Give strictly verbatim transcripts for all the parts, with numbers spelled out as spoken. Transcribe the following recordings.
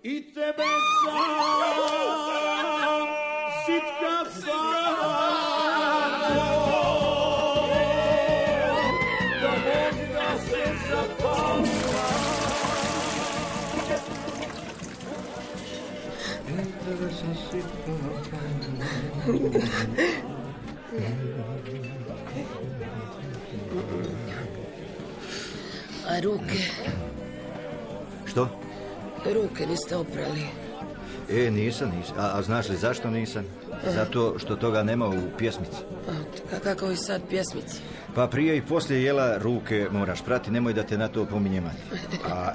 I tebe sam, sitka sam, da možda se zapala. I tebe sam sitka A ruke? Što? Ruke niste oprali. E, nisam, nisam. A, a znaš li zašto nisam? Zato što toga nema u pjesmici. A kako je sad pjesmici? Pa prije i poslije jela ruke moraš prati, nemoj da te na to pominjem. A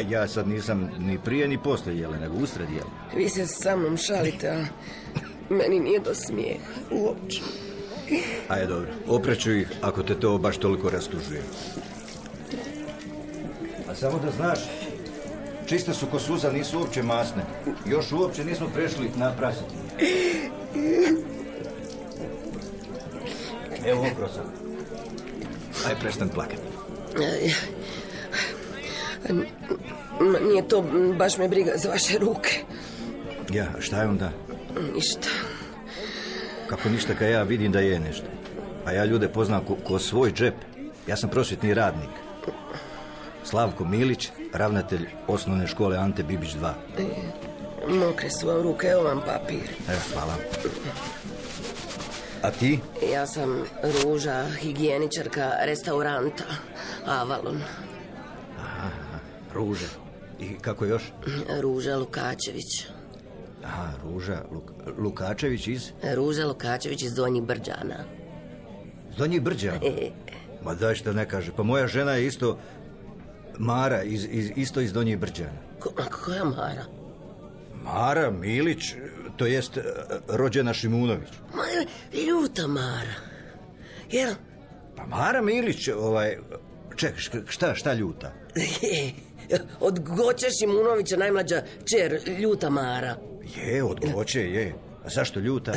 ja sad nisam ni prije ni poslije jela, nego usred jela. Vi se sa mnom šalite, ali meni nije do smijeha uopće. Ajde, dobro, opreću ih ako te to baš toliko rastužuje. A samo da znaš, čiste su ko suza, nisu uopće masne. Još uopće nismo prešli na prasiti. Evo okro sam. Aj, prestan plakati. Nije to, baš me briga za vaše ruke. Ja, šta je onda? Ništa. Kako ništa, kad ja vidim da je nešto. A ja ljude poznam ko, ko svoj džep. Ja sam prosvjetni radnik. Slavko Milić, ravnatelj osnovne škole Ante Bibić dva. E, mokre su vam ruke, evo vam papir. Evo, hvala. A ti? Ja sam Ruža, higijeničarka restauranta Avalon. Aha, Ruža. I kako još? Ruža Lukačević. Aha, Ruža Luk, Lukačević iz? Ruža Lukačević iz Donjih Brđana. Donjih Brđana? E. Ma daj što ne kaže. Pa moja žena je isto Mara, iz, iz, isto iz Donjih Brđana. Ko, koja Mara? Mara Milić, to jest rođena Šimunović. Ma, ljuta Mara. Jel? Pa Mara Milić, ovaj... Čekaj, šta, šta ljuta? Od Goće Šimunovića najmlađa čer, ljuta Mara. Je, od Goće, je. A zašto ljuta?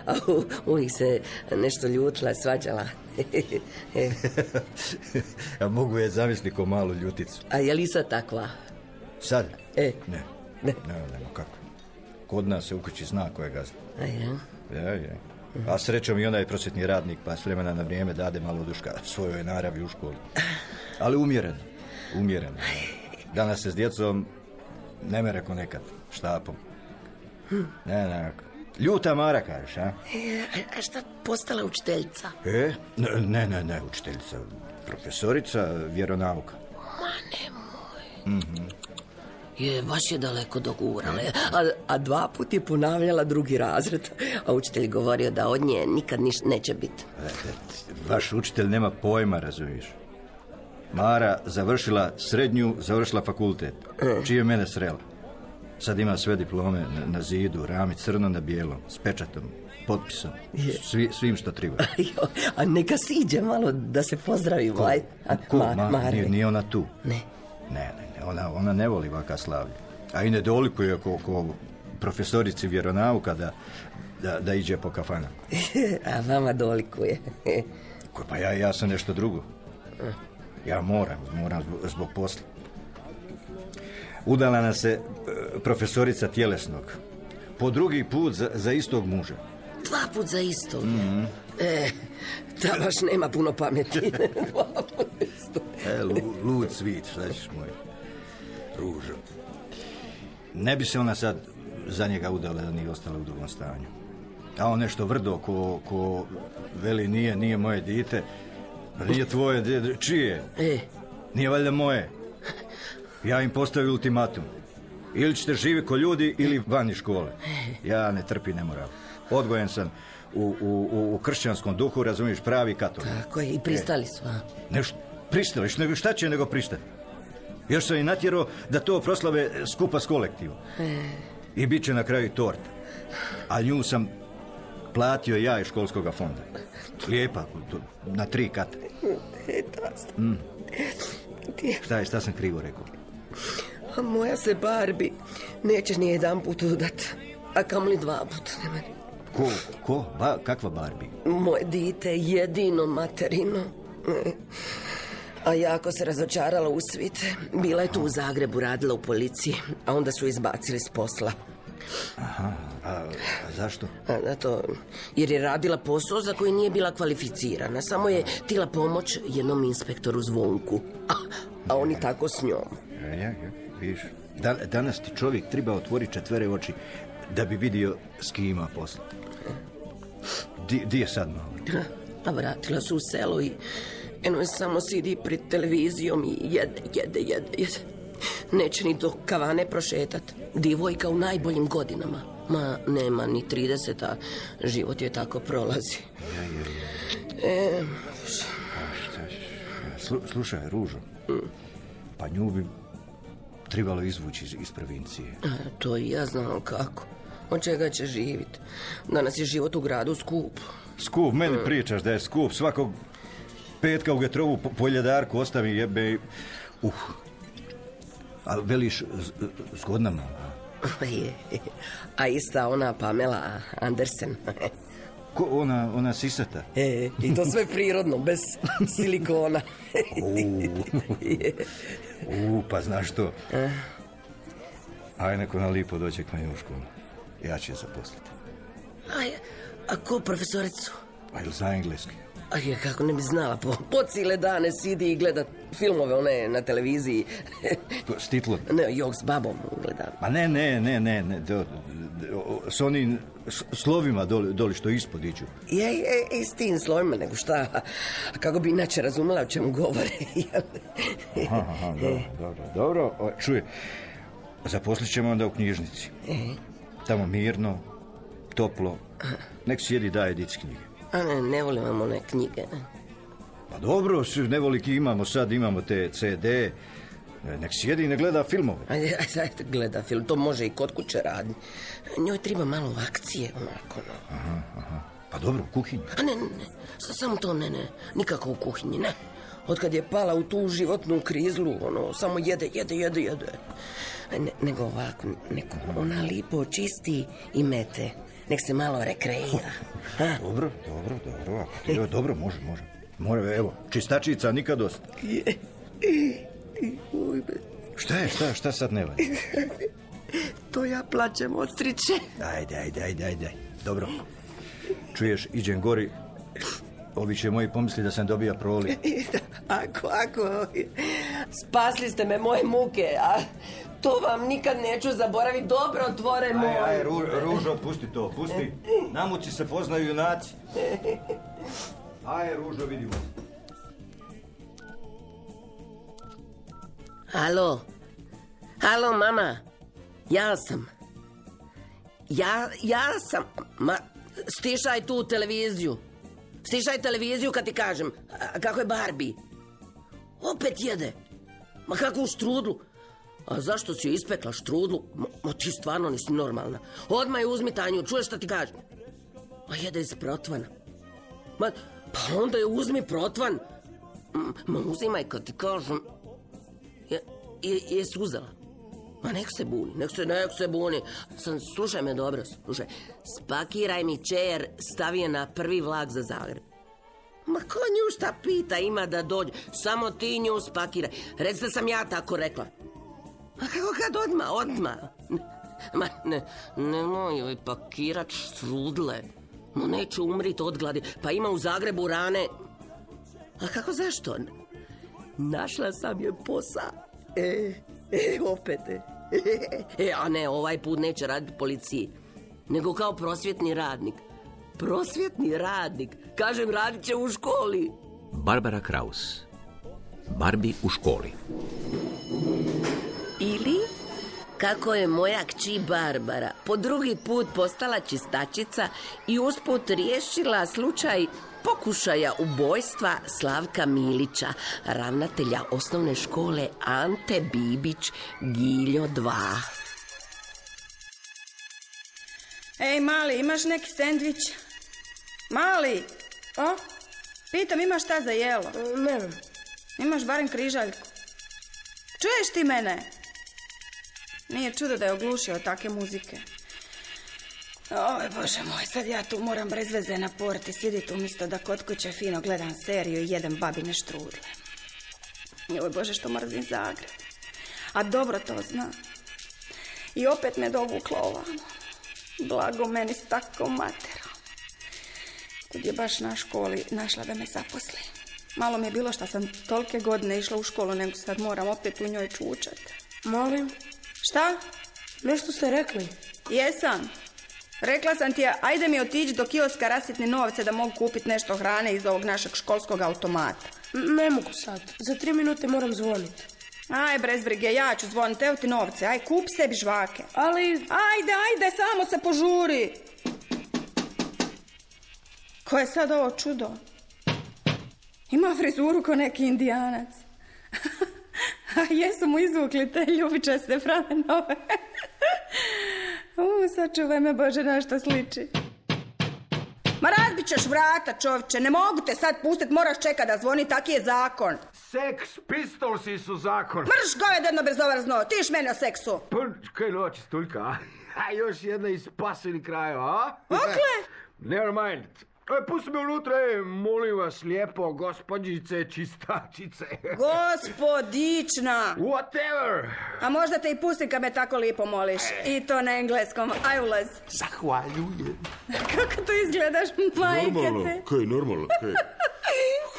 A u, uvijek se nešto ljutila, svađala. Ja mogu je zamisliti ko malu ljuticu. A je li sad takva? Sad? E. Ne. Ne. Ne, nema kako. Kod nas se u kući zna ko je gazda. A ja? Ja, je. A srećom i onaj prosvjetni radnik, pa s vremena na vrijeme dade malo duška svojoj naravi u školi. Ali umjereno, umjereno. Danas se s djecom ne mere ko nekad, štapom. Ne, ne, ljuta Mara, kažeš, a? E, a šta postala učiteljica? E, ne, ne, ne, učiteljica. Profesorica vjeronauka. Ma nemoj. Mhm. Je, baš je daleko dogurala. A, a dva put je ponavljala drugi razred. A učitelj govorio da od nje nikad niš neće biti. Vaš učitelj nema pojma, razumiješ. Mara završila srednju, završila fakultet. Čije mene srela. Sad ima sve diplome na, na zidu, rami crno na bijelom, s pečatom, potpisom, svi, svim što treba. A neka siđe malo da se pozdravimo. Ko? A, Ko? Ma, Ma, nije, nije ona tu. Ne. Ne, ne, ne, ona, ona ne voli vaka slavlje. A i ne dolikuje ko, ko profesorici vjeronauka da, da, da iđe po kafana. A vama dolikuje. Ko, pa ja, ja sam nešto drugo. Ja moram, moram zbog, zbog posla. Udala nas se profesorica tjelesnog. Po drugi put za, za istog muža. Dva put za istog? Mm-hmm. E, ta baš nema puno pameti. Dva put za istog. E, lud svit, šta ćeš moj. Ružo. Ne bi se ona sad za njega udala da nije ostala u drugom stanju. A on nešto vrdo ko, ko veli nije, nije moje dite. Nije tvoje dite. Čije? E. Nije valjda moje. Ja im postavim ultimatum. Ili ćete živi ko ljudi ili van iz škole. Ja ne trpi nemoral. Odgojen sam u, u, u kršćanskom duhu, razumiješ, pravi katolik. Tako je, i pristali su. A? Nešto, pristali, nego šta će nego pristati? Još sam i natjerao da to proslave skupa s kolektivom. E. I bit će na kraju torta. A nju sam platio ja iz školskog fonda. Lijepa, na tri kata. Mm. Šta je, šta sam krivo rekao? A moja se Barbie neće ni jedan put udat, a kamoli dva put. Ko? Ko? Ba, kakva Barbie? Moje dite, jedino materino. A jako se razočarala u svit. Bila je tu u Zagrebu, radila u policiji, a onda su izbacili s posla. Aha, a, a zašto? A, zato, jer je radila posao za koji nije bila kvalificirana. Samo je tila pomoć jednom inspektoru Zvonku. A, a oni tako s njom. Ja, ja, ja, vidiš. Dan, danas ti čovjek treba otvoriti četvere oči da bi vidio s kim ima posla. Di, di je sad malo? A vratila su u selo i eno je samo sidi pred televizijom i jede, jede, jede, jede. Neće ni do kavane prošetat. Divojka u najboljim godinama. Ma, nema ni trideset, a život je tako prolazi. Ja, ja, ja. E, A šta će? Slu, slušaj, Ružo, mm. pa nju bi trebalo izvući iz, iz provincije. A, to i ja znam kako. Od čega će živjeti? Danas je život u gradu skup. Skup, meni mm. pričaš da je skup. Svakog petka u Getrovu po, po ljedarku ostavi jebe. Uh. A veliš zgodna mala. A ista ona Pamela Andersen. Ko ona, ona sisata? E, i to sve prirodno, bez silikona. U, pa znaš što? Aj, neko na lipo dođe k meni u školu. Ja ću je zaposliti. Aj, a ko profesoricu? Aj, za engleski. Aj, kako ne bi znala, po, po cijele dane sidi i gleda filmove one na televiziji. S titlom? Ne, jok s babom gledam. Ma ne, ne, ne, ne, ne, do, do, s onim slovima doli, doli što ispod iđu. Je, je, i s tim slovima, nego šta, kako bi inače razumela o čemu govore. Aha, aha, dobro, dobro, dobro, o, čuje, zaposlit ćemo onda u knjižnici. Tamo mirno, toplo, nek sjedi daje dic knjige. A ne, ne volim vam one knjige. Pa dobro, nevoliki imamo sad, imamo te ce de, nek sjedi i ne gleda filmove. Ajde, ajde, gleda film, to može i kod kuće raditi. Njoj treba malo akcije, onako, no. Aha, aha. Pa dobro, u kuhinji. A ne, ne, ne, samo to ne, ne, nikako u kuhinji, ne. Otkad je pala u tu životnu krizlu, ono, samo jede, jede, jede, jede. Ne, nego ovako, neko ona lipo čisti i mete. Nek se malo rekreira. Ha? Dobro, dobro, dobro, ako ti je dobro, može, može. More, evo, čistačica nikad dosta. Šta je, šta, šta sad ne valja? To ja plaćam od striče. Ajde, ajde, ajde, ajde. Dobro. Čuješ, iđem gori. Ovi će moji pomisli da sam dobija proli. Ako, ako. Spasli ste me moje muke, a to vam nikad neću zaboraviti. Dobro, otvore moj. Aj, aj, Ru, Ružo, pusti to, pusti. Na muci se poznaju junaci. Aj, Ružo, vidimo. Halo. Halo, mama. Ja sam. Ja, ja sam. Ma, stišaj tu televiziju. Stišaj televiziju kad ti kažem. A, kako je Barbie? Opet jede. Ma kako u štrudlu. A zašto si joj ispekla štrudlu? Ma, ma ti stvarno nisi normalna. Odmah je uzmi Tanju, čuješ šta ti kažem? Ma jede iz protvana. Ma, pa onda je uzmi protvan. Ma uzimaj kad ti kažem. Je, je, jesi uzela? Ma nek se buni, nek se, nek se buni. Sam, slušaj me dobro, slušaj. Spakiraj mi čejer, stavi je na prvi vlak za Zagreb. Ma ko nju šta pita, ima da dođe. Samo ti nju spakiraj. Recite sam ja tako rekla. Ma kako kad odmah, odmah. Ma ne, nemoj joj pakirat štrudle. Ma neću umrit od gladi. Pa ima u Zagrebu rane. A kako zašto? Našla sam joj posao. E, e, opet. E, a ne, ovaj put neće raditi u policiji. Nego kao prosvjetni radnik. Prosvjetni radnik. Kažem, radit će u školi. Barbara Kraus. Barbie u školi. Ili kako je moja kći Barbara po drugi put postala čistačica i usput riješila slučaj pokušaja ubojstva Slavka Milića, ravnatelja osnovne škole Ante Bibić, Giljo dva. Ej, mali, imaš neki sendvič? Mali, o, pitam, imaš šta za jelo? Ne. Imaš barem križaljku? Čuješ ti mene? Nije čudo da je oglušio od take muzike. Oj, Bože moj, sad ja tu moram bez veze na porti siditi umjesto da kod kuće fino gledam seriju i jedem babine štrudle. Joj Bože, što mrzim Zagreb. A dobro to zna. I opet me dovukla ovamo. Blago meni s takvom materom. Kud je baš na školi našla da me zaposli. Malo mi je bilo što sam tolike godine išla u školu, nego sad moram opet u njoj čučat. Molim? Šta? Nešto ste rekli. Jesam. Rekla sam ti, ajde mi otići do kioska rasitni novce da mogu kupiti nešto hrane iz ovog našeg školskog automata. N- ne mogu sad. Za tri minute moram zvoniti. Aj, bez brige, ja ću zvoniti, evo ti novce. Aj, kup sebi žvake. Ali... Ajde, ajde, samo se požuri. Ko je sad ovo čudo? Ima frizuru ko neki indijanac. A jesu mu izvukli te ljubičaste pramenove. U, sačuvaj me Bože, na što sliči. Ma razbit ćeš vrata, čovječe, ne mogu te sad pustit, moraš čekat da zvoni, taki je zakon. Sex Pistolsi su zakon. Mrš govedeno bezobrazno, tiš meni o seksu. Pa, kaj noći, Stuljka, a? A još jedna iz pasivnih krajeva, a? Okle? Never mind. E, pusti me unutra, e, molim vas lijepo, gospođice čistačice. Gospodična. Whatever. A možda te i pustim kad me tako lipo moliš. I to na engleskom. Aj ulaz. Zahvaljujem. Kako to izgledaš, majke Normalno, te? kaj, normalno, kaj.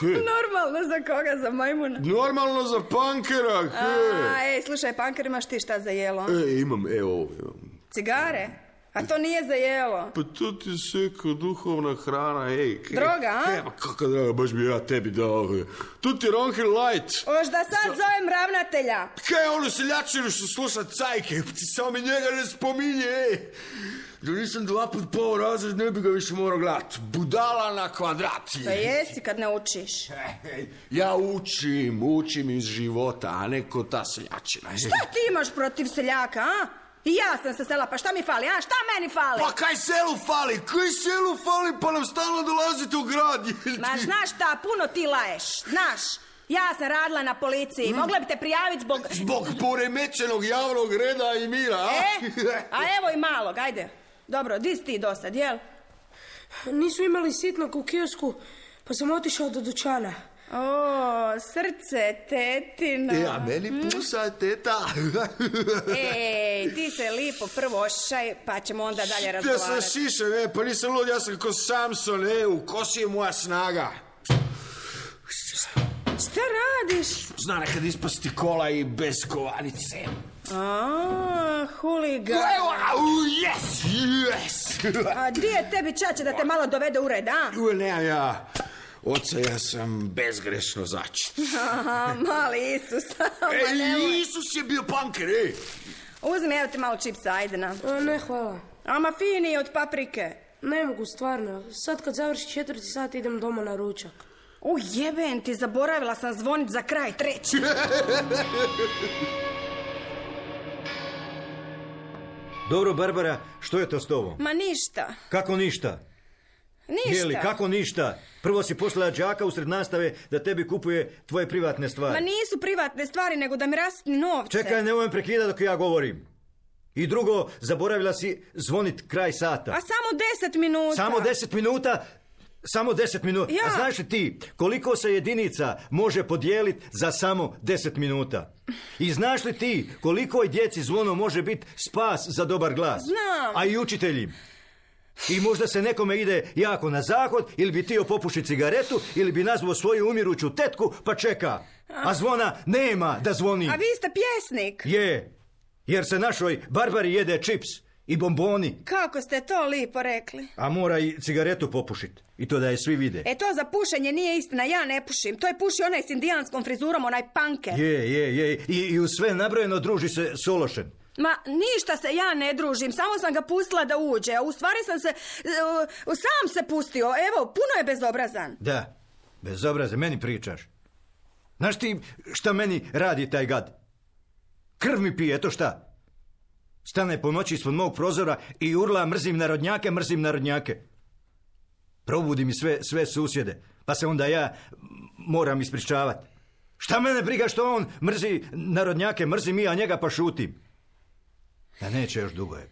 Kaj? Normalno za koga, za majmuna? Normalno za pankera, kaj. A, ej, slušaj, panker, imaš ti šta za jelo? E, imam, evo ovo, evo. Cigare? A to nije za jelo. Pa to ti se kao duhovna hrana, ej. Kaj, Droga, a? Kaj, pa kako draga, baš bi ja tebi dao. Tu ti Ronhil Light. Oš da sad zovem ravnatelja. Kaj je ono seljačinu što sluša cajke? Ti samo mi njega ne spominje, ej. Da nisam dva put pao razred, ne bi ga više morao gledat. Budala na kvadrati. Pa jesi kad ne učiš. Ej, ja učim, učim iz života, a ne ko ta seljačina. Šta ti imaš protiv seljaka, a? I ja sam sa sela, pa šta mi fali, a? Šta meni fali? Pa kaj selu fali? Kaj selu fali? Pa nam stalno dolazite u grad. Ma znaš šta, puno ti laješ, znaš. Ja sam radila na policiji, mogla bi te prijaviti zbog... Zbog poremećenog javnog reda i mira, a? E? A evo i malog, ajde. Dobro, di si ti dosad, jel? Nisu imali sitnog u kiosku, pa sam otišao do dućana. O, srce, tetino. E, a meni pusa teta. Ej, ti se lipo prvo ošišaj, pa ćemo onda dalje Ja razgovarati. sam šišan, e, pa nisam lud, ja sam ko Samson, e, u kosi je moja snaga. Šta radiš? Zna nekad ispasti kola i bez kovanice. A, huligan. Evo, au, yes, yes. A di je tebi čače da te malo dovede u red, a? U, ne, ja, oca, ja sam bezgrešno začet. Aha, mali Isus. E, nemoj. Isus je bio panker, ej. Uzmi, evo ti malo čipsa, ajde na. A, ne, hvala. Ama fini od paprike. Ne mogu, stvarno. Sad kad završi četvrti sat idem doma na ručak. U, jeben ti, zaboravila sam zvonit za kraj treći. Dobro, Barbara, što je to s tobom? Ma ništa, Kako ništa? ništa. Jeli, kako ništa? Prvo si poslala đaka usred nastave da tebi kupuje tvoje privatne stvari. Ma nisu privatne stvari, nego da mi rasitni novce. Čekaj, nemoj me prekidati dok ja govorim. I drugo, zaboravila si zvonit kraj sata. A samo deset minuta. Samo deset minuta? Samo deset minuta. Ja. A znaš li ti koliko se jedinica može podijeliti za samo deset minuta? I znaš li ti koliko djeci zvono može biti spas za dobar glas? Znam. A i učitelji. I možda se nekome ide jako na zahod, ili bi tio popuši cigaretu, ili bi nazvao svoju umiruću tetku, pa čeka. A zvona nema da zvoni. A vi ste pjesnik. Je, jer se našoj Barbari jede čips i bomboni. Kako ste to lipo rekli. A mora i cigaretu popušit. I to da je svi vide. E to za pušenje nije istina, ja ne pušim. To je puši onaj s indijanskom frizurom, onaj panker. Je, je, je. I, i u sve nabrojeno druži se Sološen. Ma ništa se ja ne družim, samo sam ga pustila da uđe. A u stvari sam se, uh, sam se pustio. Evo, puno je bezobrazan. Da, bezobraze, meni pričaš. Znaš ti šta meni radi taj gad? Krv mi pije, eto šta. Stane po noći ispod mog prozora i urla mrzim narodnjake, mrzim narodnjake. Probudi mi sve, sve susjede, pa se onda ja moram ispričavati. Šta mene briga što on mrzi narodnjake, mrzim i ja njega pa šutim. Da neće još dugo je.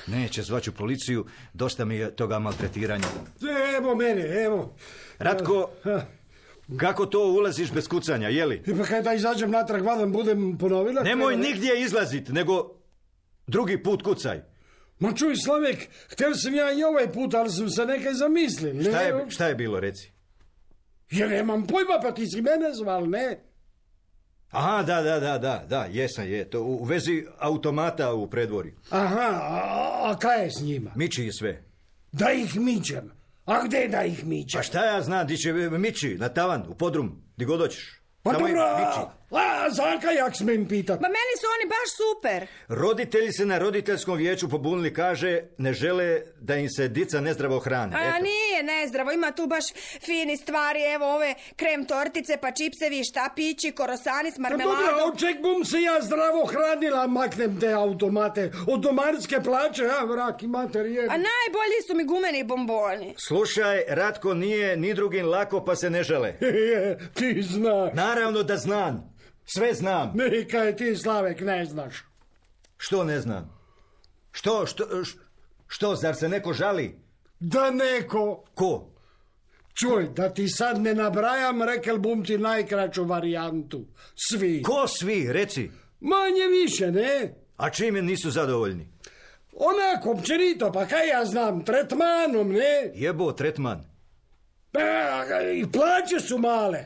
Neće, zvaću policiju, dosta mi je toga maltretiranja. Evo mene, evo. Ratko, Kako to ulaziš bez kucanja, jeli? I pa kaj da izađem natrag vadan budem ponovila? Nemoj kaj... nigdje izlazit, nego drugi put kucaj. Ma čuj, Slavek, htio sam ja i ovaj put, ali sam se nekaj zamislil. Ne? Šta je, šta je bilo, reci? Ja nemam pojma, pa ti si mene zval, ne? Aha, da, da, da, da, da, jesam, je. To u vezi automata u predvorju. Aha, a, a kaj je s njima? Miči je sve. Da ih mičem. A gdje da ih mičem? Pa šta ja znam, di će miči, na tavan, u podrum, di god hoćeš. Pa Tamo dobro, miči. a Zaka jak smem pitat? Ma meni su oni baš super. Roditelji se na roditeljskom vijeću pobunili, kaže, ne žele da im se dica nezdravo hrane. A Eto. nije nezdravo, ima tu baš fini stvari, evo ove krem tortice, pa čipsevi, štapići, korosani s Pa dobro, marmeladom. od čeg bum se ja zdravo hranila, maknem te automate. Od domarske plaće, a vrak i mater jebe. A najbolji su mi gumeni bomboni. Slušaj, Ratko nije ni drugim lako, pa se ne žele. Ti znaš. Naravno da znam. Sve znam. Nekaj ti, Slavek, ne znaš. Što ne znam? Što, što, š- što, zar se neko žali? Da neko... Ko? Čuj, da ti sad ne nabrajam, rekel bum ti najkraću varijantu. Svi. Ko svi, reci? Manje više, ne? A čime nisu zadovoljni? Onako, općenito, pa kaj ja znam, tretmanom, ne? Jebo, tretman. Pa, i plaće su male.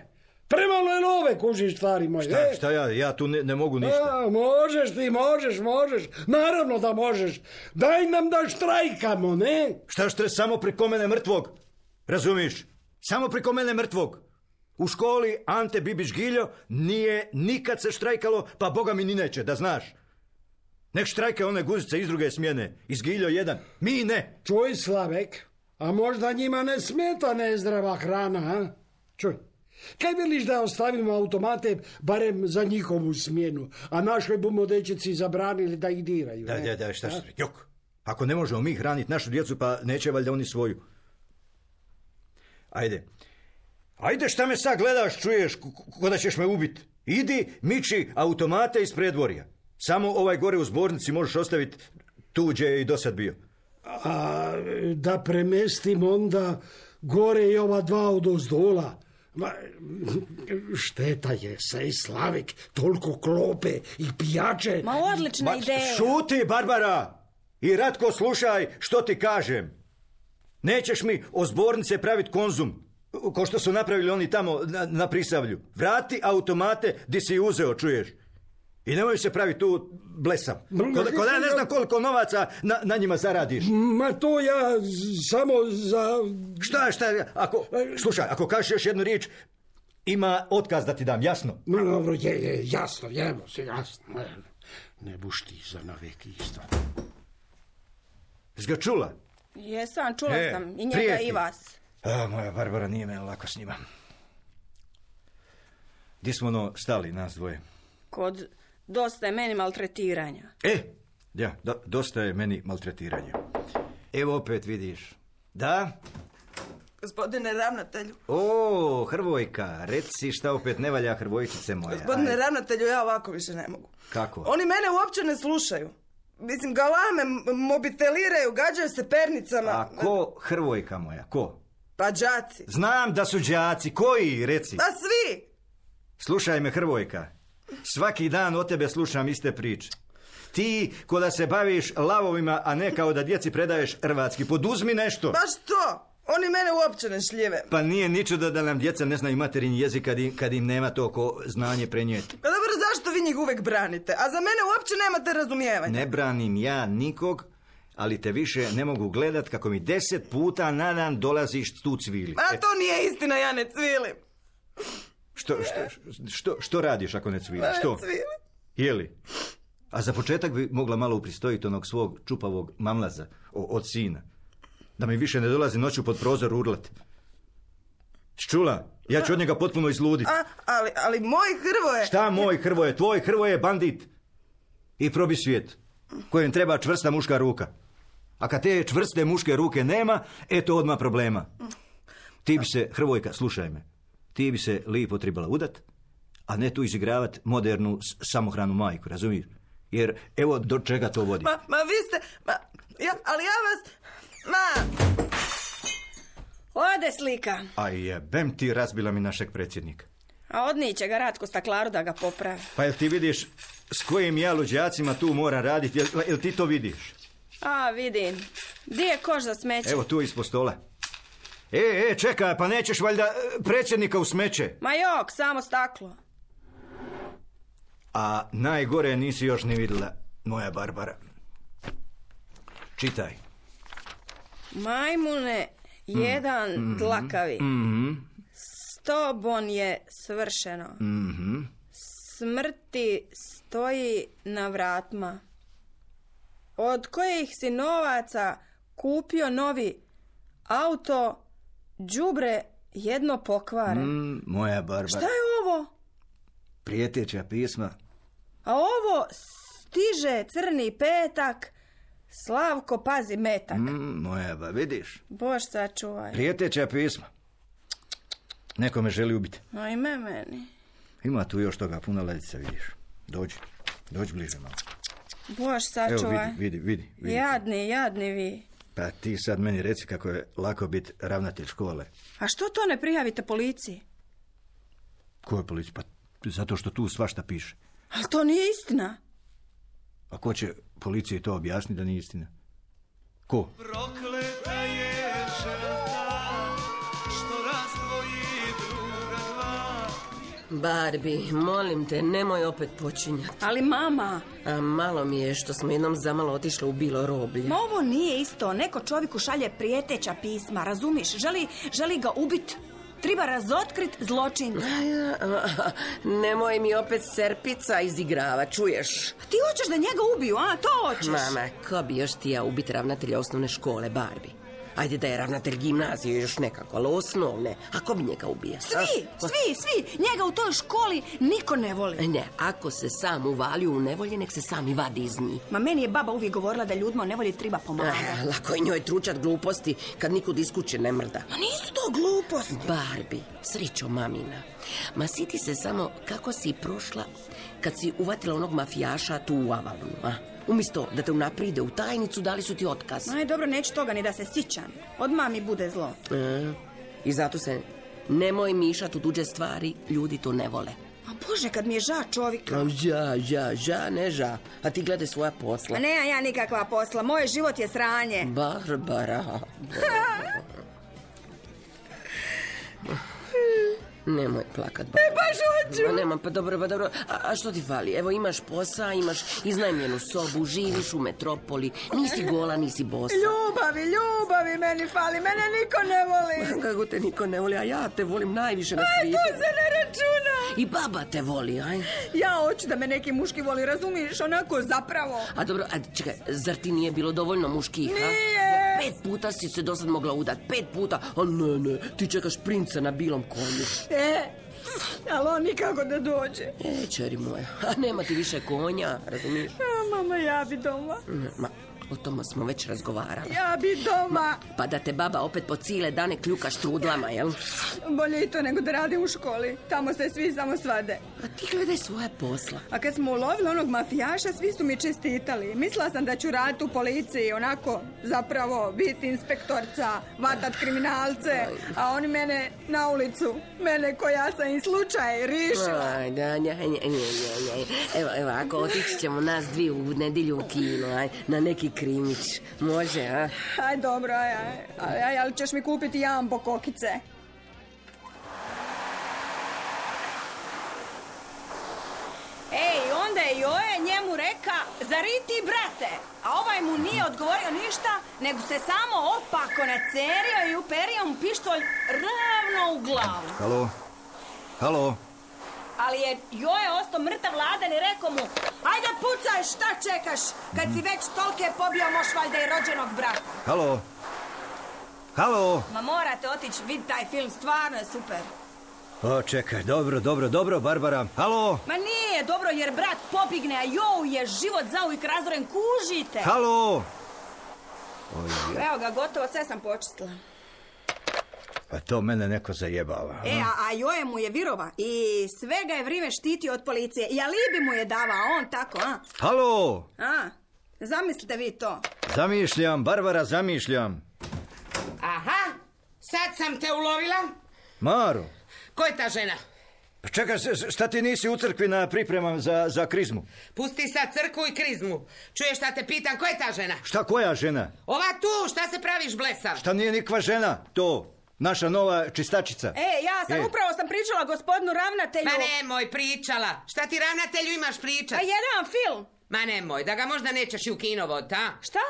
Premalo je nove, kužiš, stvari moje. Šta, e? šta ja, ja tu ne, ne mogu ništa. A, možeš ti, možeš, možeš. Naravno da možeš. Daj nam da štrajkamo, ne? Šta štre, samo priko mene mrtvog? Razumiš? Samo priko mene mrtvog. U školi Ante Bibić Giljo nije nikad se štrajkalo, pa boga mi ni neće, da znaš. Nek štrajke one guzice iz druge smjene. Iz Giljo jedan. Mi ne. Čuj, Slavek, a možda njima ne smeta nezdrava hrana, a? Čuj. Kaj veliš da ostavimo automate barem za njihovu smjenu, a našoj bumo dečeci zabranili da ih diraju? Da, ne? da, da, šta što? Jok. Ako ne možemo mi hraniti našu djecu, pa neće valjda oni svoju. Ajde. Ajde, šta me sad gledaš, čuješ, ko da ćeš me ubiti. Idi, miči automate iz predvorja. Samo ovaj gore u zbornici možeš ostaviti tu gdje je i dosad bio. A da premestim onda gore i ova dva od ozdola. Ma, šteta je, sej Slavek, toliko klope i pijače. Ma odlična Ba, ideja. šuti, Barbara! I Ratko, slušaj što ti kažem. Nećeš mi o zbornice praviti konzum, ko što su napravili oni tamo na, na Prisavlju. Vrati automate di si uzeo, čuješ. I nemoj se praviti tu blesav. Ko da, ko da ja ne znam koliko novaca na, na njima zaradiš. Ma to ja samo za... Šta, šta, ako, slušaj, ako kažeš još jednu riječ, ima otkaz da ti dam, jasno? Ma dobro, je, je, jasno, jemo se, jasno. Ne, ne buš ti za navek isto. Jesi ga čula? Jesam, čula E, sam. I njega prijeti. i vas. A, moja Barbara, nije me lako s njima. Di smo ono stali, nas dvoje? Kod dosta je meni maltretiranja. E, ja, do, dosta je meni maltretiranja. Evo opet vidiš. Da? Gospodine ravnatelju. O, Hrvojka, reci šta opet ne valja, Hrvojčice moja. Gospodine Ajde. ravnatelju, ja ovako više ne mogu. Kako? Oni mene uopće ne slušaju. Mislim, galame, m- mobiteliraju, gađaju se pernicama. A ko, Hrvojka moja, ko? Pa đaci. Znam da su đaci, koji, reci? Pa svi. Slušaj me, Hrvojka, svaki dan od tebe slušam iste priče. Ti, ko da se baviš lavovima, a ne kao da djeci predaješ hrvatski, poduzmi nešto. Baš to. Oni mene uopće ne šljive. Pa nije ničudo da nam djeca ne znaju materin jezik kad im, kad im nema to ko znanje prenijeti. Pa dobro, zašto vi njih uvijek branite? A za mene uopće nemate razumijevanja. Ne branim ja nikog, ali te više ne mogu gledat kako mi deset puta na dan dolaziš tu cvili. A to nije istina, ja ne cvilim. Što, što, što, što radiš ako ne cviliš? Pa ne Što? cvilim. Jeli? A za početak bi mogla malo upristojiti onog svog čupavog mamlaza o, od sina. Da mi više ne dolazi noću pod prozor urlat. Čula? Ja ću od njega potpuno izluditi. A, ali, ali moj Hrvoje... Šta moj Hrvoje? Tvoj Hrvoje je bandit. I probi svijet. Kojem treba čvrsta muška ruka. A kad te čvrste muške ruke nema, eto odmah problema. Ti bi se, Hrvojka, slušaj me, ti bi se lipo trebala udat, a ne tu izigravat modernu s- samohranu majku, razumiješ? Jer evo do čega to vodi. Ma, ma vi ste... Ma, ja, ali ja vas... Ma... Ode slika. A jebem ti, razbila mi našeg predsjednika. A odniće ga Ratko staklaru da ga popravi. Pa jel ti vidiš s kojim ja luđacima tu moram raditi? Jel, jel ti to vidiš? A, vidim. Di je koš za smeće? Evo tu ispod stola. E, e, čekaj, pa nećeš valjda predsjednika u smeće? Ma jok, samo staklo. A najgore nisi još ni vidjela, moja Barbara. Čitaj. Majmune, jedan mm, dlakavi. Mm-hmm. S tobom je svršeno. Mm-hmm. Smrti stoji na vratma. Od kojih si novaca kupio novi auto, đubre jedno pokvare. Mm, moja Barbara. Šta je ovo? Prijeteća pisma. A ovo stiže crni petak, Slavko pazi metak. Mm, moja ba, vidiš? Bož sačuvaj. Prijeteća pisma. Neko me želi ubiti. Ajme meni. Ima tu još toga, puno ledica, vidiš. Dođi, dođi bliže malo. Bož sačuvaj. Evo, vidi, vidi, vidi. Jadni, jadni vi. Pa ti sad meni reci kako je lako biti ravnatelj škole. A što to ne prijavite policiji? Koje policiji? Pa zato što tu svašta piše. Ali to nije istina. A ko će policiji to objasniti da nije istina? Ko? Prokleta je žrtva što razdvoji druga dva. Barbie, molim te, nemoj opet počinjati. Ali mama... A malo mi je što smo jednom zamalo otišli u bilo roblje. Ma ovo nije isto. Neko čovjeku šalje prijeteća pisma, razumiš? Želi, želi ga ubiti. Treba razotkrit zločinca. Nemoj mi opet serpica izigrava, čuješ? Ti hoćeš da njega ubiju, a? To hoćeš? Mama, ko bi još ti ja ubiti ravnatelja osnovne škole, Barbie? Ajde da je ravnatelj gimnazije još nekako, ali osnovne. A ko bi njega ubija? Svi, a? svi, svi. Njega u toj školi niko ne voli. Ne, ako se sam uvalio u nevolje, nek se sami vadi iz njih. Ma meni je baba uvijek govorila da ljudima u nevolji treba pomagati. Ah, lako je njoj tručat gluposti kad nikud iz kuće ne mrda. Ma nisu to gluposti. Barbie, srećo mamina. Ma siti se samo kako si prošla kad si uvatila onog mafijaša tu u Avalonu, a? Umjesto da te unapride u tajnicu, dali su ti otkaz. Aj, dobro, neću toga ni da se sićam. Odmah mi bude zlo. E, I zato se nemoj mišati u tuđe stvari, ljudi to ne vole. A Bože, kad mi je ža čovjeka. A ža, ža, ža, ne ža. A ti gledaj svoja posla. A ne, ja nikakva posla. Moj život je sranje. Barbara. Nemoj plakat, Barbara. E, baš hoću. Ma nemam, pa dobro, pa dobro. A, a što ti fali? Evo, imaš posao, imaš iznajmljenu sobu, živiš u metropoli, nisi gola, nisi bosa. Ljubavi, ljubavi meni fali, mene niko ne voli. Kako te niko ne voli, a ja te volim najviše na svijetu. Aj, to se ne računa. I baba te voli, aj. Ja hoću da me neki muški voli, razumiješ, onako zapravo. A dobro, a čekaj, zar ti nije bilo dovoljno muških, a? Nije. Pet puta si se dosad mogla udat, pet puta. A ne, ne, ti čekaš princa na bilom konju. E, ali on nikako da dođe. E, čeri moja, a nema ti više konja, razumiješ? A, mama, ja bi doma. Ma, o tome smo već razgovarali. Ja bi doma. Ma, pa da te baba opet po cijele dane kljuka štrudlama, jel? Bolje i to nego da radim u školi. Tamo se svi samo svade. A ti gledaj svoje posla. A kad smo ulovili onog mafijaša, svi su mi čestitali. Mislila sam da ću raditi u policiji, onako, zapravo, biti inspektorca, vatat kriminalce, a oni mene na ulicu. Mene koja sam i slučaj rišila. Aj, da, nja, nja, nja, nja. Evo, evo, ako otići ćemo nas dvije u nedjelju u kino, aj, na neki krimić. Može, a? Aj, dobro, aj, aj, aj, ali ćeš mi kupiti jambo kokice. Ej, onda je Joje njemu reka, zar i ti, brate? A ovaj mu nije odgovorio ništa, nego se samo opako nacerio i uperio mu pištolj ravno u glavu. Halo? Halo? Ali je Joje ostao mrtav ladan i rekao mu, ajde pucaj, šta čekaš? Kad si već tolke pobio, moš valjda i rođenog brata. Halo? Halo? Ma morate otići vid taj film, stvarno je super. O, čekaj, dobro, dobro, dobro, Barbara. Halo? Ma nije dobro jer brat pobigne, a Joe je život zauvijek razoren, kužite. Halo? Oj, evo ga, gotovo, sve sam počistila. Pa to mene neko zajebava. E, a, a Joje mu je virova i sve ga je vrijeme štitio od policije. I alibi mu je davao, on tako, a? Halo? A, zamislite vi to. Zamišljam, Barbara, zamišljam. Aha, Sad sam te ulovila. Maro. Ko je ta žena? Pa čekaj, šta ti nisi u crkvi na pripremama za, za krizmu? Pusti sad crkvu i krizmu. Čuješ šta te pitam, ko je ta žena? Šta koja žena? Ova tu, šta se praviš blesav? Šta nije nikva žena, to, naša nova čistačica. E, ja sam e. upravo sam pričala gospodinu ravnatelju. Ma nemoj pričala. Šta ti ravnatelju imaš pričat? A jedan film. Ma nemoj, da ga možda nećeš i u kino ta? Šta?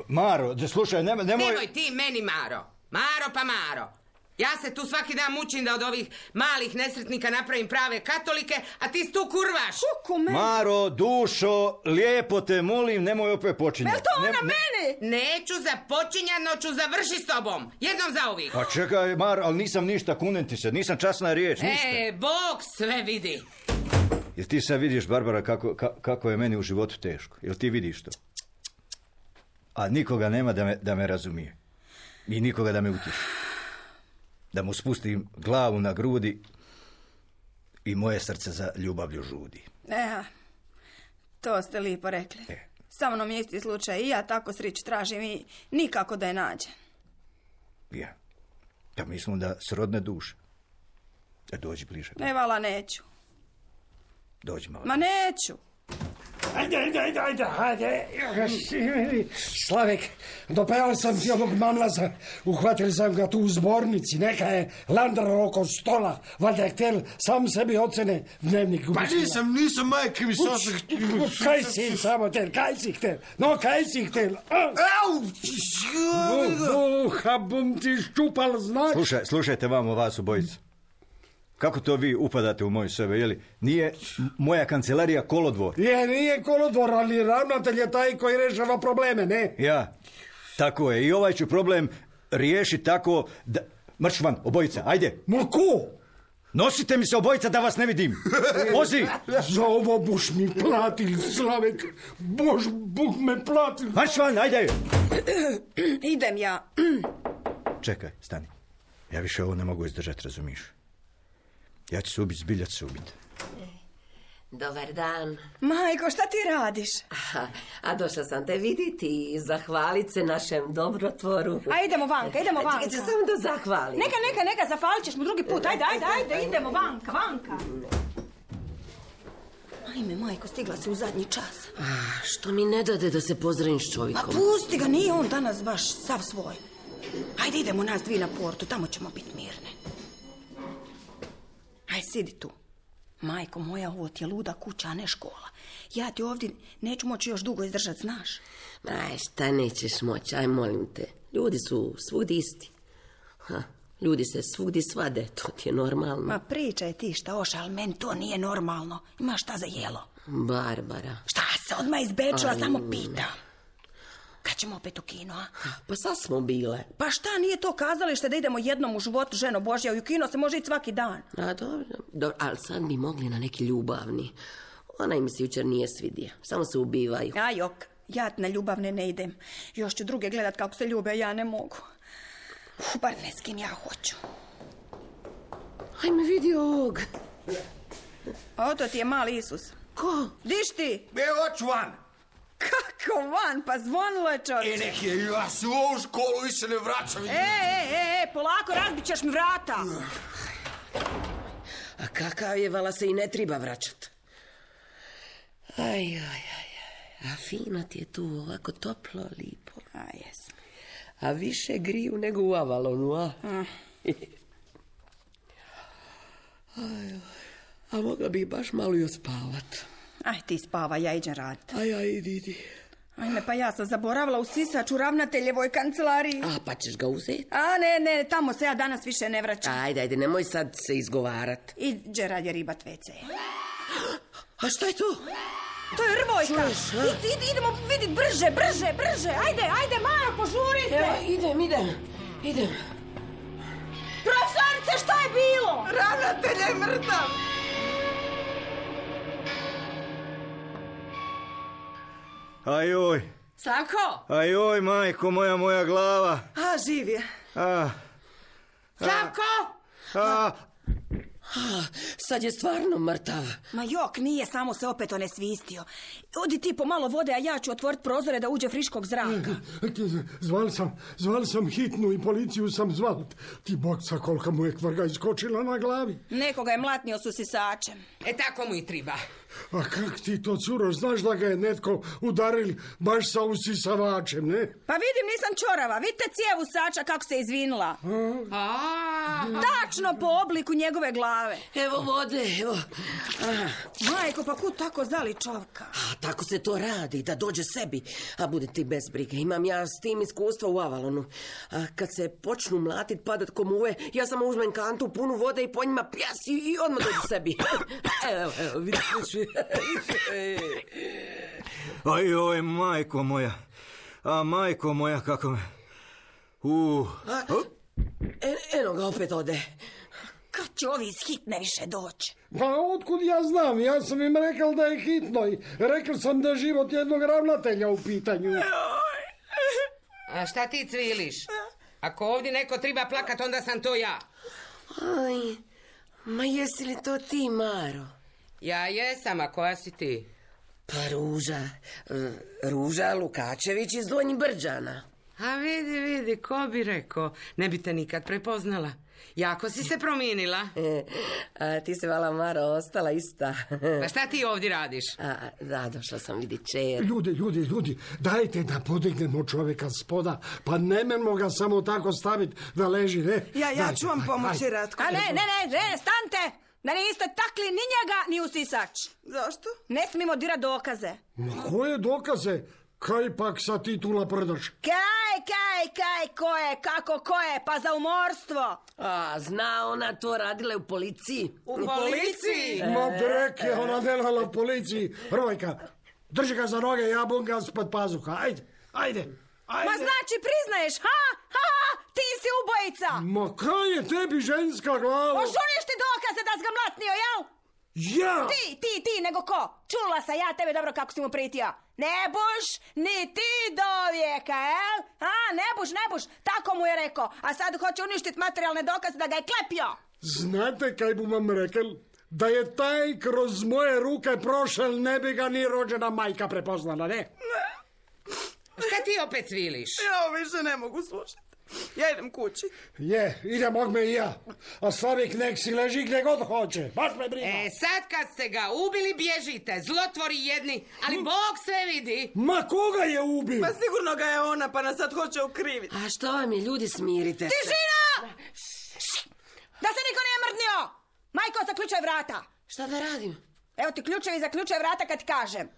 Maro, slušaj, nemoj... Nemoj ti meni, Maro. Maro pa Maro. Ja se tu svaki dan mučim da od ovih malih nesretnika napravim prave katolike, a ti tu kurvaš. Kuku, Maro, dušo, lijepo te molim, nemoj opet počinjati. Jel to ona ne, meni? Neću započinjati, no ću završi s tobom. Jednom za uvijek. Pa čekaj, Maro, ali nisam ništa, kunem ti se, nisam časna riječ, ništa. E, Bog sve vidi. Jel ti sad vidiš, Barbara, kako, kako je meni u životu teško? Jel ti vidiš to? A nikoga nema da me, da me razumije. I nikoga da me utješi. Da mu spustim glavu na grudi i moje srce za ljubavlju žudi. E, to ste lipo rekli. E. Sa mnom je isti slučaj i ja tako srić tražim i nikako da je nađem. Ja. Pa mi smo da srodne duše. E, dođi bliže. Ne, vala, neću. Dođi malo. Ma neću. Ajde, ajde, ajde, ajde, ajde. Slavek, dopeo sam ti ovog mamlaza, uhvatili sam ga tu u zbornici, neka je landrao oko stola, valjda je htjel sam sebi ocene dnevnik. Pa nisam, nisam, majke mi sasvim... Kaj si samo tel, kaj si htjel, no kaj si htjel. Au! Uha, bum ti ščupal, znaš. Slušaj, slušajte vamo vas obojica. Kako to vi upadate u moju sebe, jeli? Nije moja kancelarija kolodvor. Je, nije kolodvor, ali ravnatelj je taj koji rešava probleme, ne? Ja, tako je. I ovaj ću problem riješiti tako da... Mrš van, obojica, ajde. Ma ko? Nosite mi se obojica da vas ne vidim. Vozi! Za ovo buš mi platil, Slavek. Bož, Bog me platil. Marš van, ajde. Idem ja. Čekaj, stani. Ja više ovo ne mogu izdržati, razumiš? Ja ću se ubiti, zbilja ću se ubiti. Dobar dan. Majko, šta ti radiš? Aha, a došla sam te vidjeti i zahvalit se našem dobrotvoru. A idemo vanka, idemo vanka. Čekaj, samo da zahvalim. Neka, neka, neka, zahvalit ćeš mu drugi put. Ajde, ajde, ajde, idemo vanka, vanka. Ajme, majko, stigla si u zadnji čas. A, što mi ne dade da se pozdravim s čovjekom? Ma pusti ga, nije on danas baš sav svoj. Ajde, idemo nas dvi na portu, tamo ćemo biti mirne. Aj, sidi tu. Majko moja, ovo ti je luda kuća, a ne škola. Ja ti ovdje neću moći još dugo izdržati, znaš. Ma, šta nećeš moći, aj molim te. Ljudi su svugdje isti. Ha, ljudi se svugdje svade, to ti je normalno. Ma pričaj ti šta oša, ali meni to nije normalno. Ima šta za jelo? Barbara. Šta se odmah izbečila, samo pitam. Kad ćemo opet u kino, a? Pa sad smo bile. Pa šta, nije to kazalište da idemo jednom u životu, ženo Božja, i u kino se može ići svaki dan. A dobro, dobro, ali sad bi mogli na neki ljubavni. Ona im se jučer nije svidija, samo se ubivaju. A jok, ja na ljubavne ne idem. Još ću druge gledat kako se ljube, a ja ne mogu. Uf, bar ne s kim ja hoću. Hajme vidi ovog. O, to ti je mali Isus. Ko? Diš ti? Evo, ću van. Kako van? Pa zvonilo je, čovječe. E, nek je, ja se u ovu školu i se ne vraćam. E, e, e, e, polako, razbit ćeš mi vrata. A kakav je, vala se i ne treba vraćat. Aj, aj, aj, a fino ti je tu, ovako toplo, lipo. A, jesam. A više griju nego u Avalonu, a? Mm. Aj, a mogla bi baš malo i ospavat. Aj, ti spava, ja iđem raditi. Aj, aj, idi, idi. Ajme, pa ja sam zaboravila u sisač u ravnateljevoj kancelariji. A, pa ćeš ga uzeti? A, ne, ne, tamo se ja danas više ne vraćam. Ajde, ajde, nemoj sad se izgovarat. Iđe radje ribat ve ce. A što je to? To je Rvojka. Idi, idi, idemo vidit brže, brže, brže. Ajde, ajde, Majo, požuri se. Evo, idem, idem, idem. Profesorice, šta je bilo? Ravnatelj je mrtav. Ajoj. Slavko? Ajoj, majko moja, moja glava. A, živ je. A. Slavko? A. A, sad je stvarno mrtav. Ma jok, nije, samo se opet onesvistio. Odi ti po malo vode, a ja ću otvoriti prozore da uđe friškog zraka. Zvali sam, zvali sam hitnu i policiju sam zvali. Ti bokca kolika mu je kvrga iskočila na glavi. Nekoga je mlatnio s usisačem. E tako mu i triba. A kak ti to, curo, znaš da ga je netko udarili baš sa usisavačem, ne? Pa vidim, nisam čorava. Vidite cijev usača kako se izvinula. A, Tačno po obliku njegove glave. Evo vode, evo. A, Majko, pa kud tako zali čovka? a, tako se to radi, da dođe sebi. A bude ti bez brige. Imam ja s tim iskustva u Avalonu. A kad se počnu mlatit, padat ko muve, ja samo uzmem kantu punu vode i po njima pjas i, i odmah dođe sebi. Evo, evo, vidiš. Aj, oj, majko moja. A majko moja, kako me... U. A, e, eno ga opet ode. Kad će ovi iz hitne više doći? Pa otkud ja znam, ja sam im rekao da je hitno i rekao sam da je život jednog ravnatelja u pitanju. a šta ti cviliš? Ako ovdje neko treba plakat, onda sam to ja. Aj, ma jesi li to ti, Maro? Ja jesam, a koja si ti? Pa Ruža, e, Ruža Lukačević iz Donjih Brđana. A vidi, vidi, ko bi rekao, ne bi te nikad prepoznala. Jako si se promijenila. E, a ti se, vala, Maro, ostala ista. Pa šta ti ovdje radiš? A, da, došla sam vidi čer. Ljudi, ljudi, ljudi, dajte da podignemo čovjeka spoda, pa nemojmo ga samo tako staviti da leži, ne? Ja, ja Daj, ću vam aj, pomoći, aj. Ratko. A ne, ne, ne, ne, stante! Da niste takli ni njega, ni usisač. Zašto? Ne smijemo dirat dokaze. Ma koje dokaze? Kaj pak sa titula prdaš? Kaj, kaj, kaj, ko je, kako, ko je, pa za umorstvo. A, zna ona to, radila je u policiji. U policiji? Ma drek je ona delala u policiji. Hrvojka, drži ga za noge, ja bum ga spod pazuha. Ajde, ajde, ajde. Ma znači priznaješ, ha, ha, ha, ti si ubojica. Ma kaj je tebi ženska glava? Ožuniš ti dokaze da si ga mlatnio, jel? Ja! Ti, ti, ti, nego ko? Čula sam ja tebe dobro kako si mu pritio. Ne buš, ni ti do vijeka, jel? A, ne buš, ne buš, tako mu je rekao. A sad hoće uništiti materijalne dokaze da ga je klepio. Znate kaj bu vam rekel? Da je taj kroz moje ruke prošel, ne bi ga ni rođena majka prepoznala, ne? Šta ti opet cviliš? Ja ovo više ne mogu slušati. Ja idem kući. Je, idem ogme i ja. A Slavik nek si leži gdje god hoće. Baš me briga. E, sad kad ste ga ubili, bježite, zlotvori jedni, ali Bog sve vidi. Ma koga je ubio? Pa sigurno ga je ona, pa nas sad hoće ukriviti. A što vam je, ljudi, smirite se. Tišina! Da se niko nije mrdnio! Majko, zaključaj vrata. Šta da radim? Evo ti ključevi, zaključaj vrata kad ti kažem.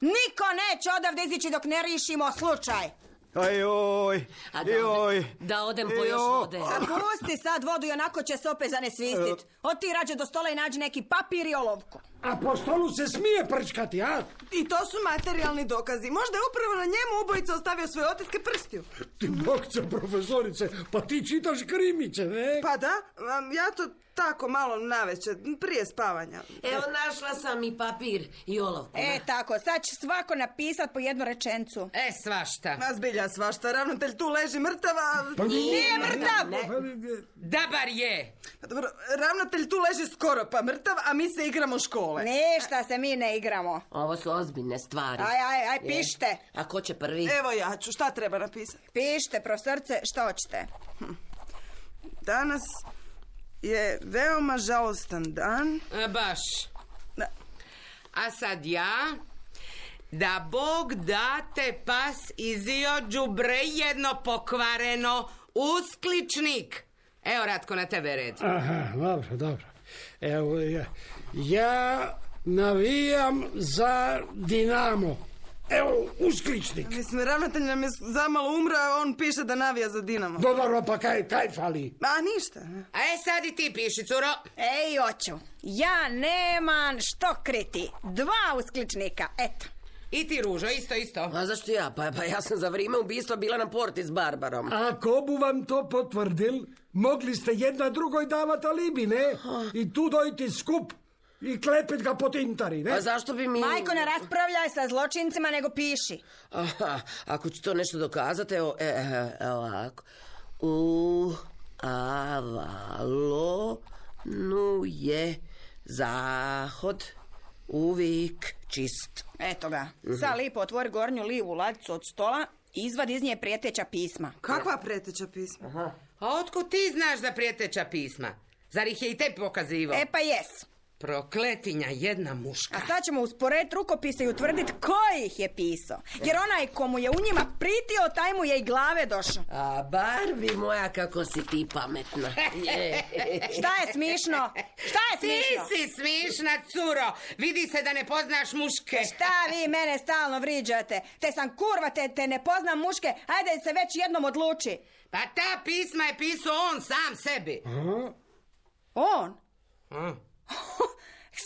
Niko neće odavde izići dok ne rišimo slučaj. Aj, oj, A da, joj. odem, da odem po još Joj. vode. A pusti sad vodu i onako će se opet zanesvistit. Oti rađe do stola i nađi neki papir i olovku. A po stolu se smije prčkati, a? I to su materijalni dokazi. Možda je upravo na njemu ubojica ostavio svoje otiske prstiju. Ti bokce, profesorice, pa ti čitaš krimiće, ne? Pa da, am, ja to tako malo navečer, prije spavanja. Evo, našla sam i papir i olovku. E, tako, sad će svako napisat po jednu rečencu. E, svašta. Ma zbilja svašta, ravnatelj tu leži mrtava. Pa Nije mrtav! Da bar je. Pa dobro, ravnatelj tu leži skoro pa mrtav, a mi se igramo škole. Ništa se mi ne igramo. Ovo su ozbiljne stvari. Aj, aj, aj, pišite. A ko će prvi? Evo ja ću, šta treba napisati? Pišite, profesorce, što hoćete? Danas je veoma žalostan dan. A, baš. Da. A sad ja, da Bog date pas izio đubre jedno pokvareno uskličnik. Evo, Ratko, na tebe red. Aha, dobro, dobro. Evo, ja, ja navijam za Dinamo. Evo, uskličnik. Mislim, ravnatelj nam je zamalo umra, a on piše da navija za Dinamo. Dobro, pa kaj, kaj fali? A ništa. A e, sad i ti piši, curo. Ej, oću, ja nemam što kriti. Dva uskličnika, eto. I ti, Ružo, isto, isto. A zašto ja? Pa, pa ja sam za vrijeme ubistva bila na porti s Barbarom. Ako bu vam to potvrdil, mogli ste jedna drugoj davat alibi, ne? I tu dojti skup i klepit ga po tintari, ne? A zašto bi mi... Majko, ne raspravljaj sa zločincima, nego piši. Aha, ako ću to nešto dokazati, evo, e, e, evo ovako. U avalo Nu je zahod uvijek čist. Eto ga. Sad lipo otvori gornju livu ladicu od stola i izvadi iz nje prijeteća pisma. Kakva prijeteća pisma? Aha. A otkud ti znaš za prijeteća pisma? Zar ih je i tebi pokazivao? E pa jes. Prokletinja jedna muška. A sad ćemo usporediti rukopise i utvrditi ko ih je pisao. Jer onaj komu je u njima pritio, taj mu je i glave došao. A Barbie moja, kako si ti pametna. Je. Šta je smišno? Šta je smišno? Ti si smišna, curo. Vidi se da ne poznaš muške. Šta vi mene stalno vriđate? Te sam kurva, te, te ne poznam muške. Ajde se već jednom odluči. Pa ta pisma je pisao on sam sebi. Aha. On? A?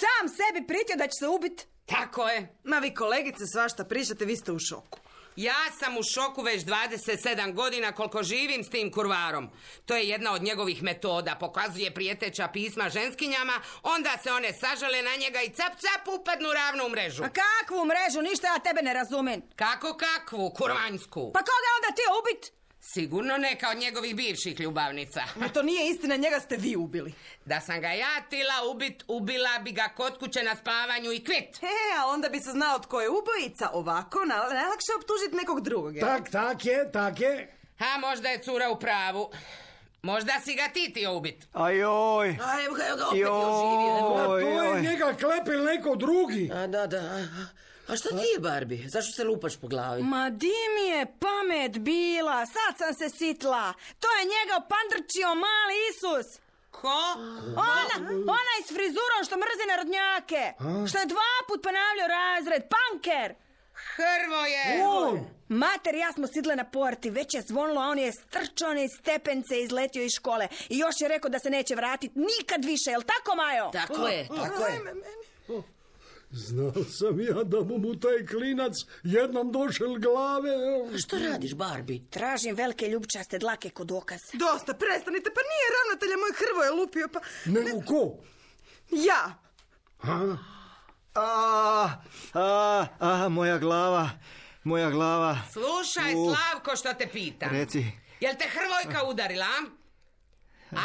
Sam sebi pritio da će se ubiti. Tako je. Ma vi kolegice svašta pričate, vi ste u šoku. Ja sam u šoku već dvadeset sedam godina koliko živim s tim kurvarom. To je jedna od njegovih metoda. Pokazuje prijeteća pisma ženskinjama, onda se one sažale na njega i cap cap upadnu ravno u mrežu. A kakvu mrežu? Ništa ja tebe ne razumim. Kako kakvu? Kurvanjsku. Pa koga onda ti ubit? Sigurno neka od njegovih bivših ljubavnica. A to nije istina, njega ste vi ubili. Da sam ga ja tila ubit, ubila bi ga kod kuće na spavanju i kvit. E, a onda bi se znao tko je ubojica. Ovako, na- najlakše optužiti nekog drugog. jel? Tak, tak je, tak je. A možda je cura u pravu. Možda si ga ti tio ubit. Ajoj. A evo ga, evo ga, opet je Joj. oživio. Pa Oj, to je oj. njega klepil neko drugi. A da, da. A, a šta ti je, Barbie? Zašto se lupaš po glavi? Ma di mi je pamet bila? Sad sam se sitla. To je njega pandrčio mali Isus. Ko? Ona, onaj s frizurom što mrzi narodnjake. Što je dva put ponavljao razred. Panker. Hrvoje! On. Mater i ja smo sidle na porti, već je zvonilo, a on je strčao niz stepence i izletio iz škole. I još je rekao da se neće vratiti nikad više, jel tako, Majo? Tako je, tako je. Znao sam ja da mu mu taj klinac jednom došel glave. Što radiš, Barbie? Tražim velike ljubčaste dlake kod dokaza. Dosta, prestanite, pa nije ravnatelja moj Hrvoje lupio, pa... Nego ko? Ja! A, A, a, a, moja glava, moja glava. Slušaj, U. Slavko, što te pitam. Reci. Jel te Hrvojka udarila?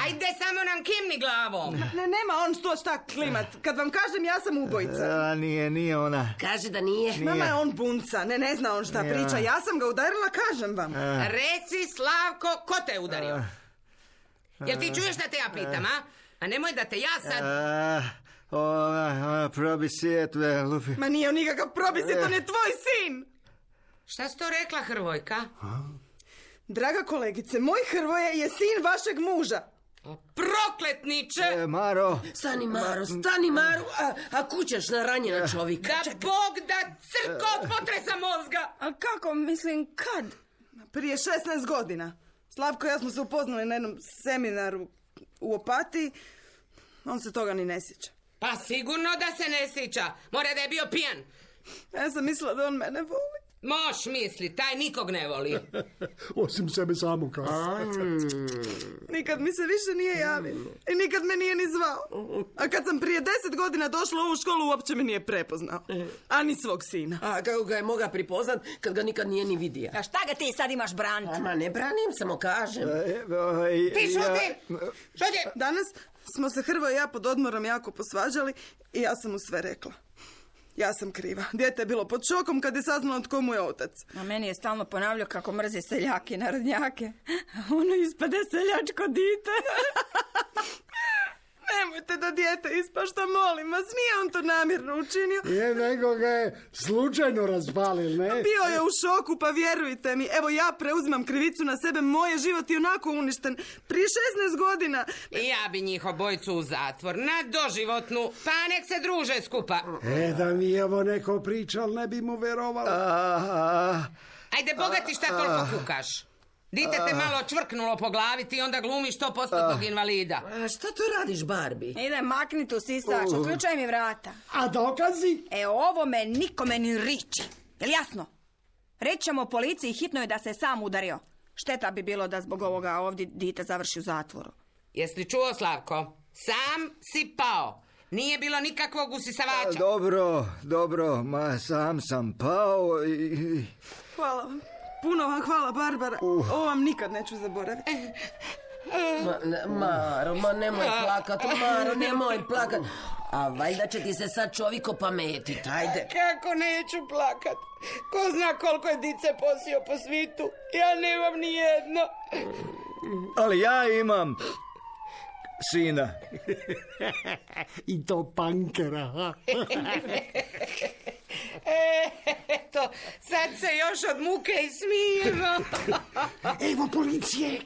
Ajde, samo nam kimni glavom. Ne, nema on to šta klimat. Kad vam kažem, ja sam ubojica. A, nije, nije ona. Kaže da nije. Mama je on bunca, ne, ne zna on šta Ja. priča. Ja sam ga udarila, kažem vam. Reci, Slavko, ko te je udario? Jel ti čuješ da te ja pitam, a? A nemoj da te ja sad... A, ona, ona probi sjetve, lupi. Ma nije on nikakav probisjet, on je tvoj sin. Šta si to rekla, Hrvojka? Draga kolegice, moj Hrvoje je sin vašeg muža. Prokletniče! E, Maro. Stani, Maro, stani, Maro. A, a kućaš na ranjena čovjeka. Da Bog da crko od potresa mozga! A kako, mislim, kad? Prije šesnaest godina. Slavko i ja smo se upoznali na jednom seminaru u Opatiji. On se toga ni ne sjeća. Pa sigurno da se ne sjeća. Mora da je bio pijan. Ja sam mislila da on mene voli. Moš misli, taj nikog ne voli. osim sebe samo kao. Nikad mi se više nije javio. I nikad me nije ni zvao. A kad sam prije deset godina došla u ovu školu, uopće me nije prepoznao. A ni svog sina. A kako ga je moga pripoznat kad ga nikad nije ni vidio? A šta ga ti sad imaš braniti? Ma ne branim, samo kažem. Ti šuti! Šuti! Danas smo se Hrvo i ja pod odmorom jako posvađali i ja sam mu sve rekla. Ja sam kriva. Dijete je bilo pod šokom kad je saznalo tko mu je otac. A meni je stalno ponavljao kako mrzi seljake i narodnjake. A ono ispade seljačko dite. Nemojte da dijete ispašta, molim vas. Nije on to namjerno učinio. Je, nego ga je slučajno razpalil, ne? Bio je u šoku, pa vjerujte mi. Evo ja preuzimam krivicu na sebe. Moj je život i onako uništen. Prije šesnaest godina. I ja bi njih obojicu u zatvor, na doživotnu, pa nek se druže skupa. E, da mi je ovo neko pričal, ne bi mu verovala. A, Ajde, bogati, šta toliko kukaš? Dite te malo čvrknulo po glavi, ti onda glumiš sto postotnog invalida. A šta tu radiš, Barbie? Ide, makni tu sisač, uključaj mi vrata. A dokazi? E, ovo me nikome ni riči. Jel jasno? Reći ćemo policiji, hitno je da se sam udario. Šteta bi bilo da zbog ovoga ovdje dite završi u zatvoru. Jesi li čuo, Slavko? Sam si pao. Nije bilo nikakvog usisavača. dobro, dobro, ma sam sam pao i... Hvala vam. Puno vam hvala, Barbara. Ovo vam nikad neću zaboraviti. Ma, ne- Maro, ma nemoj plakat, Maro, nemoj plakat. A valjda će ti se sad čovjek opametit, ajde. Kako neću plakat? Ko zna koliko je dice posio po svitu? Ja nemam ni jedno. Ali ja imam sina. I to pankera, ha? Eto, sad se još od muke i smijemo. Evo policije.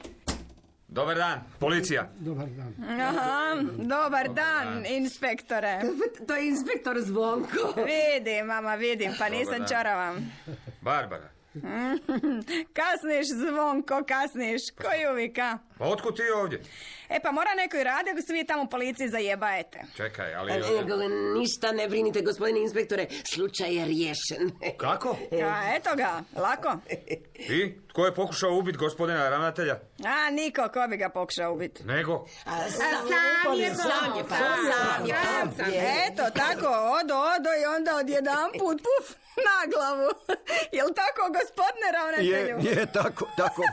Dobar dan, policija. Dobar dan. Aha, dobar dan, inspektore. To je inspektor Zvonko. Vidim, mama, vidim, pa nisam dan. čoravam. Barbara. Kasniš, Zvonko, kasniš. Koji uvijek, a? Pa otkud ti ovdje? E, pa mora neko i radi, ako se vi tamo u policiji zajebajete. Čekaj, ali... E, ništa ne brinite, gospodine inspektore, slučaj je riješen. Kako? A, eto ga, lako. I? Tko je pokušao ubiti gospodina ravnatelja? A, niko, ko bi ga pokušao ubiti. Nego? A sam je sam je pa, sam je pa. Eto, tako, odo, odo i onda odjedan put, puf, na glavu. Jel tako, gospodine Je, ravnatelju? je, tako, tako.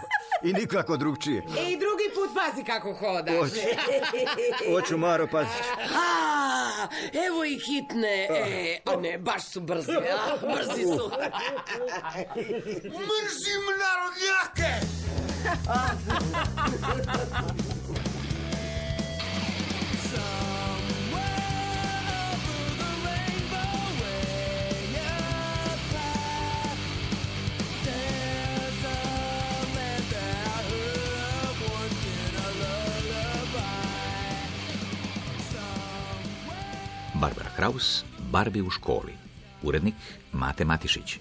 I nikako drugčije. I drugi put pazi kako hodaš. Hoću. Hoću, Maro, pazi. A, evo i hitne. E, a ne, baš su brzi, a, brzi su. Mrzim narodnjake! Barbara Kraus, Barbie u školi. Urednik Mate Matišić.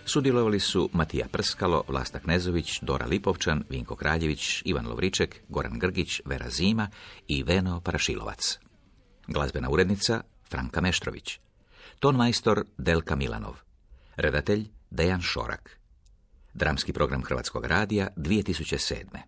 Sudjelovali su Matija Prskalo, Vlasta Knezović, Dora Lipovčan, Vinko Kraljević, Ivan Lovriček, Goran Grgić, Vera Zima i Veno Parašilovac. Glazbena urednica Franka Meštrović. Tonmajstor Delka Milanov. Redatelj Dejan Šorak. Dramski program Hrvatskog radija dvije tisuće sedme.